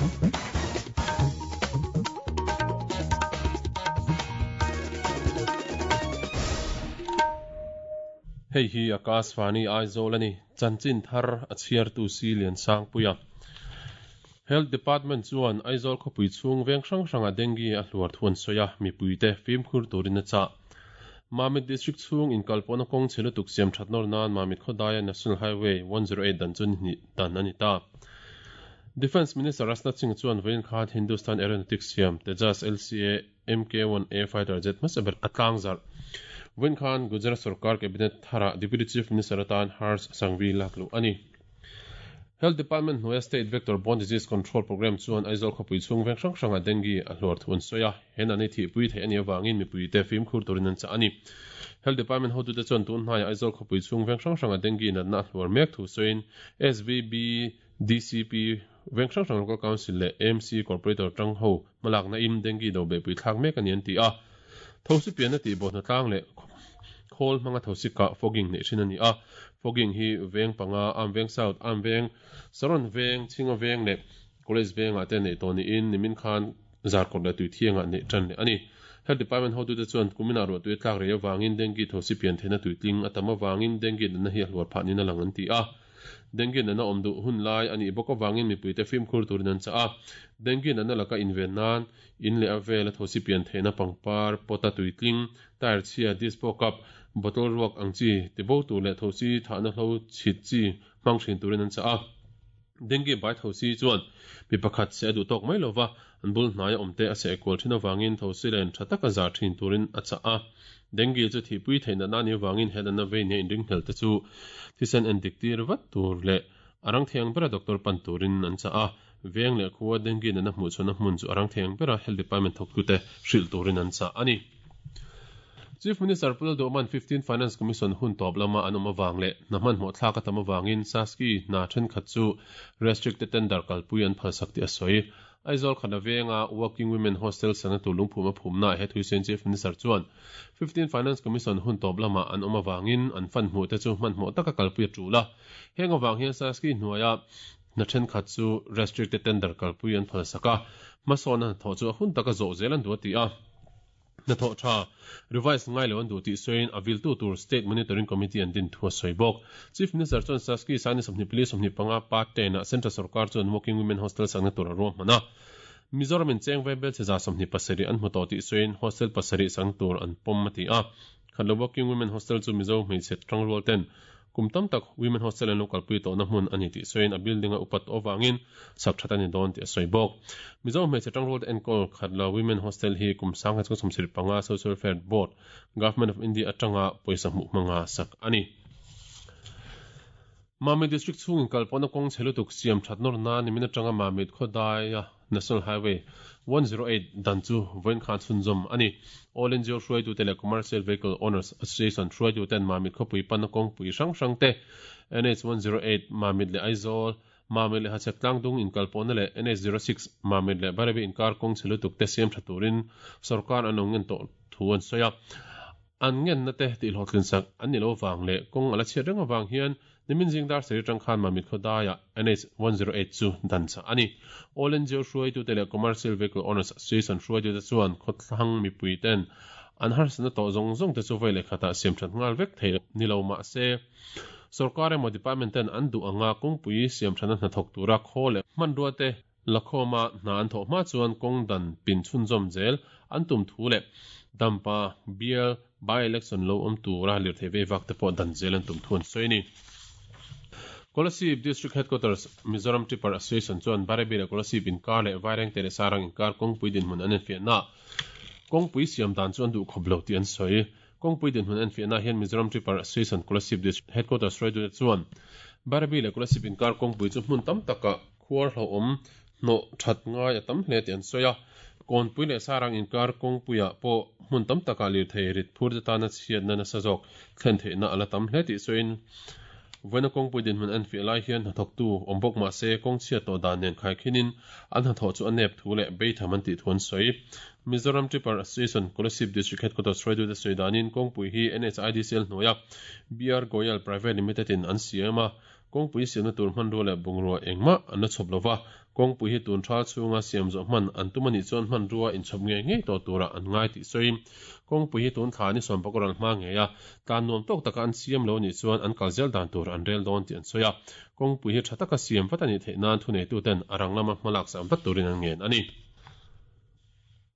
Hei hi Akashvani Aizawl a ni. Chanchin thar a chhiartu si Liansangpuia. Health Department chuan Aizawl khawpui chhung veng hrang hrangah dengue a hluar thu an sawi a, mipuite fimkhur turin a chah. Mamit District chhung inkalpawhna kawng chhe lutuk siam that nawr nan Mamit khawdaia National Highway 108 dan chu ni hnih dan a ni ta. Defence Minister Rajnath Singh chuan vawiin khan Hindustan Aeronautics siam Tejas LCA MK-1A fighter jet hmasa ber a tlangzarh. Vawiin khan Gujarat sorkar Cabinet tharah Deputy Chief Minister atan Harsh Sangvi lak luh a ni. Health Department hnuaia State Vector Borne Disease Control Programme chuan Aizawl khawpui chhung veng hrang hrangah dengue a hluar thu an sawi a, he natna hi thihpui theih a nih avangin mipuite fimkhur turin an chah a ni. Health Department hotute chuan tun hnaiah Aizawl khawpui chhung veng hrang hrangah dengue natna a hluar mek thu sawiin SVB, DCP, veng hrang hrang Local Council leh AMC Corporator tang ho hmalakna in dengue do behpui thlak mek a ni an ti a. Thosi pianna tih bawh hnatlang leh khawl hmanga thosi kah fogging neih thin a ni a. Fogging hi veng panga, Amveng South, Amveng, Saron veng, Chhinga veng leh College vengah te neih tawh niin nimin khan Zarkawt leh Tuithiangah neih tan leh a ni. Health Department hotute chuan kuminah ruahtui a tlak rei avangin dengue thosi pian theihna tuitling a tam avangin dengue natna hi a hluar phah niin a lang an ti a. Dengue natna awm duh hun lai a nih bawk avangin mipuite fimkhur turin an chah a. Dengue natna laka inven nan in leh a vela thosi pian theihna pangpar, pot a tuitling, tyre chhia, dispo cup, bottle ruak ang chi tibo tur leh thosi thahna hlo chhit chi hmang thin turin an chah a. Dengue bai thosi chuan mi pakhat seh a duh tawk mai lova, an bul hnaia awmte a seh kual thin avangin thosi len tha taka zar thin turin a chah a. Dengue chu thihpui theih natna a nih avangin he natna vei nia inringhlel te chu thisen endik tir vat tur leh a rang thiang bera doctor pan turin an chah a. Veng leh khua dengue natna hmuh chhuahna hmun chu a rang thiang bera health department thawktute hrilh turin an chah a ni. Chief Minister Pu Lalduhman 15 Finance Commission hun tawp lama an awm avang leh hna hmanhmawh thlak a tam avangin SASCI hna thenkhat chu restricted tender kalpui an phalsak tih a sawi. Aizawl Khana venga Working Women Hostel sakna tur lungphum a phumnaah he thuisen Chief Minister chuan 15 Finance Commission hun tawp lama an awm avangin an fund hmuh te chu hmanhmawh taka kalpui a tul a. Heng avang hian SASCI hnuaia hna thenkhat chu restricted tender kalpui an phalsak a, hmasawnna hnathawh chu a hun taka zawh zel an duh a ti a. Hnathawh tha, revise ngai lo an duh tih sawiin a viltu tur State Monitoring Committee an din thu a sawi bawk. Chief Minister chuan Saski Sani 24 25 part 10 ah Central sorkar chuan Working Women Hostel sakna tur a ruahman a. Mizoram in cheng vaibel chhe 27 an hmu tawh tih sawiin hostel pasarih sakna tur an pawm a ti a. Khatlo Working Women Hostel chu Mizo hmeichhe tangrual ten kum tam tak Women Hostel an lo kalpui tawhna hmun a ni tih sawiin a building a upat tawh avangin sak that a ni dawn tih a sawi bawk. Mizo hmeichhe tangrual te enkawl Khatlo Women Hostel hi kum sangha chhung 75 Social Welfare Board, Government of India atanga pawisa hmuh hmanga sak a ni. Mamit District chhung inkalpawhna kawng chhe lutuk siam that nawr nan nimin atanga Mamit khawdaia National Highway 108 dan chu vawiin khan chhunzawm a ni. All NGO hruaitute leh Commercial Vehicle Owners Association hruaituten Mamit khawpui panna kawngpui hrang hrang te, NH 108 Mamit leh Aizawl, Mamit leh Hachhek Tlangdung inkalpawhna leh NH 06 Mamit leh Bairabi inkar kawng chhe lutuk te siam tha turin sorkar an lo ngen tawh thu an sawi a. An ngenna te tihhlawhtlin sak an ni lo vang leh kawng a la chhiat reng avang hian nimin zing dar sarih atang khan Mamit khawdaiah NH 108 chu dan chah a ni. All NGO hruaitute leh Commercial Vehicle Owners Association hruaitute chuan khawthlang mipui ten an harsatna tawh zawng zawng te chu vawi leh khatah siam that nghal vek thei ni lo mah se sorkar emaw department ten an duh anga kawngpui siam thana hnathawk tura khaw leh hmanrua te Lakhawma hna an thawh hma chuan kawng dan pin chhunzawm zel an tum thu leh Dampa bial by-election lo awm tura lirthei vei vak te pawh dan zel an tum thu an sawi a ni. Kolasib District Headquarters Mizoram Tipper Association chuan Bairabi leh Kolasib inkar leh Vairengte leh Sarang inkar kawngpui dinhmun an enfiahnaah kawngpui siam dan chu an duh khawp lo tih an sawi. Kawngpui dinhmun enfiahnaah hian Mizoram Tipper Association Kolasib District Headquarters hruaitute chuan Bairabi leh Kolasib inkar kawngpui chu hmun tam takah Khuar hlauhawm hnawh that ngai a tam hle tih an sawi a, Kawnpui leh Sarang inkar kawngpuiah pawh hmun tam takah lirthei rit phur te tana chhiatna nasa zawk thlen theihna a la tam hle tih sawiin vawiina kawngpui dinhmun an fiah lai hian hnathawktu awm bawk mah se kawng chhiat tawh dan nen khaikhinin an hnathawh chu a nep thu leh beitham an tih thu an sawi. Mizoram Tipper Association Kolasib District Headquarters hruaitute sawi danin kawngpui hi NHIDCL hnuaia BR Goyal Private Limited in an siam a. Kawngpui siamna tur hmanrua leh bungrua engmah an la chhawp lova, kawngpui hi tun thal chhunga siam zawh hman an tum anih chuan hmanrua inchhawp ngei ngei tawh turah an ngai tih sawiin kawngpui hi tun thla ni sawmpakua ral hma ngeia tlan nuam tawk taka an siam lo anih chuan an kal zel dan tur an rel dawn tih an sawi a, kawngpui hi tha taka siam vat anih theih nan thuneituten a rang lama hmalak sak vat turin an ngen a ni.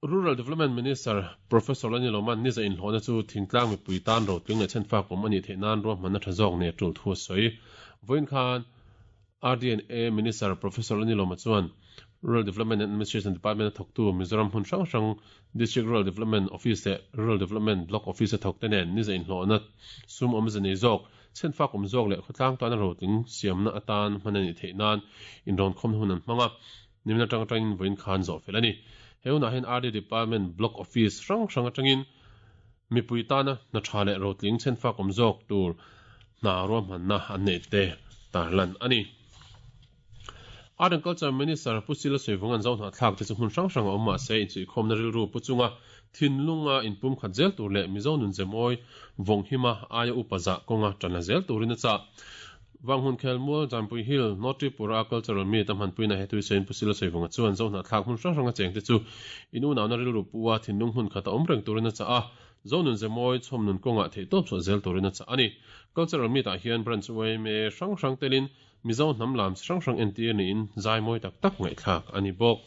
Rural Development Minister Professor Lani Loman niza inhlawhna chu thingtlang mipui tan rotling leh chhenfak awm a nih theih nan ruahmanna tha zawk nei a tul thu a sawi. Vawiin khan RDNA Minister Professor Lani Loma chuan Rural Development and Administration Department a thawktu Mizoram hmun hrang hrang District Rural Development Office leh Rural Development Block Office a thawkte nen niza inhlawhna sum awmze nei zawk, chhenfak awm zawk leh khawtlang tana rotling siamna atan hman a nih theih nan inrawnkhawmna hun an hmang a. Nimin atang atangin vawiin khan zawh fel a ni. He hunah hian RD Department Block Office hrang hrang atangin mipui tana hna tha leh rotling chhenfak awm zawk tur hna ruahmanna an neih te tarlan a ni. Art and Culture Minister Pu Sila Sawivawnga'n Zohnahthlak te chu hmun hrang hrang a awm mahse insuihkhawmna rilru pu chunga thinlunga inpumkhat zel tur leh Mizo nunzemawi vawnghima aia upa zah kawnga tan la zel turin a chah. Vanghmun Khelmual, Jampui Hill, North Tripura Cultural Meet a hmanpuina he tuisawiin Pu Sila Sawivawnga chuan Zohnahthlak hmun hrang hranga chengte chu in unauna rilru pu a thinlung hmun khat a awm reng turin a chah a, Zonun Zemawi chhawmnun kawngah theihtawp chhuah zel turin a chah a ni. Cultural Meet ah hian Branch yma hrang hrang telin Mizo hnam lam chi hrang hrang entir niin zai mawi tak tak ngaihthlak a ni bawk.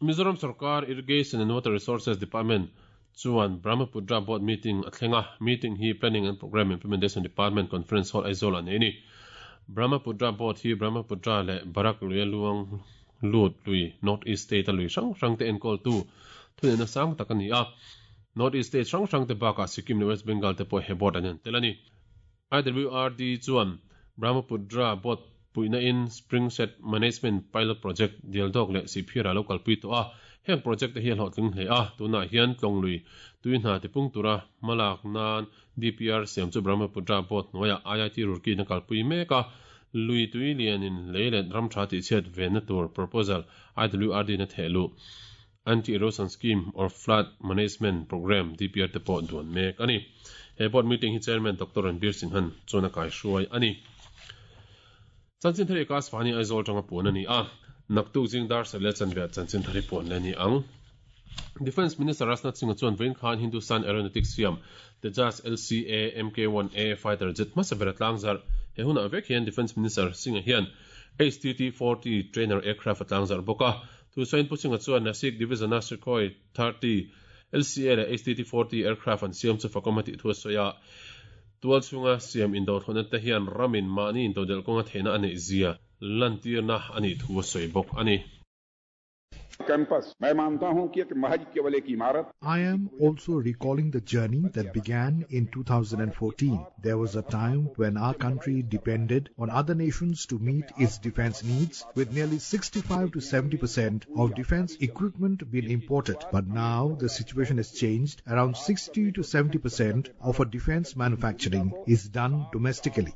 Mizoram Sorkar Irrigation and Water Resources Department chuan Brahmaputra Board Meeting a thleng a, meeting hi Planning and Programme Implementation Department Conference Hall Aizawl ah nei a ni. Brahmaputra Board hi Brahmaputra leh Barak luia luang lut lui North East State a lui hrang hrang te enkawltu thuneihna sang tak a ni a. North East State hrang hrang te bakah Sikkim leh West Bengal te pawh he board an en tel a ni. IWRD chuan Brahmaputra Board puihna in Spring Shed Management Pilot Project Dialdawk leh Sihphir ah lo kalpui tawh a, heng project te hi a hlawhtling hle a, tunah hian Tlawnglui tui hna tipung tura hmalak nan DPR siam chu Brahmaputra Board hnuaiah IIT Roorkee in a kalpui mek a, lui tui lianin lei leh ram tha tihchhiat venna tur proposal IWRD in a theh luh. Anti-Erosion Scheme or Flood Management Programme, DPR, te pawh duan mek a ni. He board meeting hi Chairman Doctor Ranbir Singhan chuan a kaihruai a ni. Chanchin thar Ika Asfani Aizawl atanga puan a ni a, naktuk zing dar sarh leh chanve ah chanchin thar hi puan leh a ni ang. Defence Minister Rajnath Singh-a chuan vawiin khan Hindustan Aeronautics siam Tejas LCA MK-1A fighter jet hmasa ber a tlangzarh. He hunah vek hian Defence Minister Singh-a hian HTT-40 trainer aircraft a tlangzarh bawk a, Thusain Pu Singh-a chuan Nasik Division-a Sukhoi 30 LCA leh HTT 40 aircraft an siam chu fakawm a tih thu a sawi a. Tual chhunga siam indothawhna te hian ramin mahni intodelh kawnga theihna a neih zia lantirna a nih thu a sawi bawk a ni. Campus, मैं मानता हूं कि एक महज केवल एक इमारत I am also recalling the journey that began in 2014. There was a time when our country depended on other nations to meet its defense needs, with nearly 65 to 70% of defense equipment being imported. But now the situation has changed. Around 60 to 70% of our defense manufacturing is done domestically.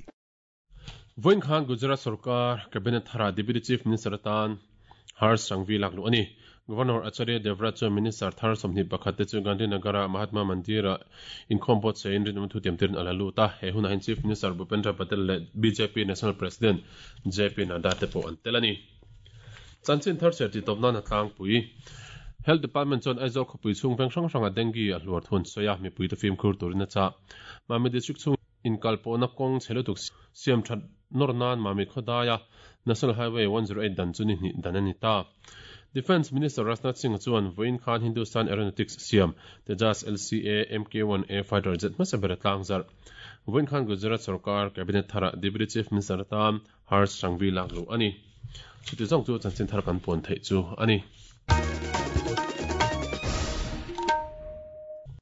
Vawiin khan Gujarat sorkar Cabinet tharah Deputy Chief Minister atan Harsh Sangvi lak luh a ni. Governor Acharya Devvrat chuan Minister thar 21 te chu Gandhinagar-a Mahatma Mandir-ah inkhawm pawt sawiin rinawm thutiam tirin a la lut a. He hunah hian Chief Minister Bhupendra Patel leh bjp National President JP Nadda te pawh an tel a ni. Chanchin thar chhiar tih tawp nan a tlangpui. Health Department chuan Aizawl khawpui chhung veng hrang hrangah dengue a hluar thu an sawi a, mipuite fimkhur turin a chah. Mami District chhung Inkalpawhna kawng chhe lutuk siam that nawr nan Mami khawdaia National Highway 108 dan chu ni hnih dan a ni ta. Defence Minister Rajnath Singh chuan vawiin khan Hindustan Aeronautics siam Tejas LCA MK-1A fighter jet hmasa ber a tlangzarh. Vawiin khan Gujarat sorkar Cabinet tharah Deputy Chief Minister atan Harsh Sangvi lak luh a ni. Chuti zawng chu chanchin thar kan puan theih chu a ni.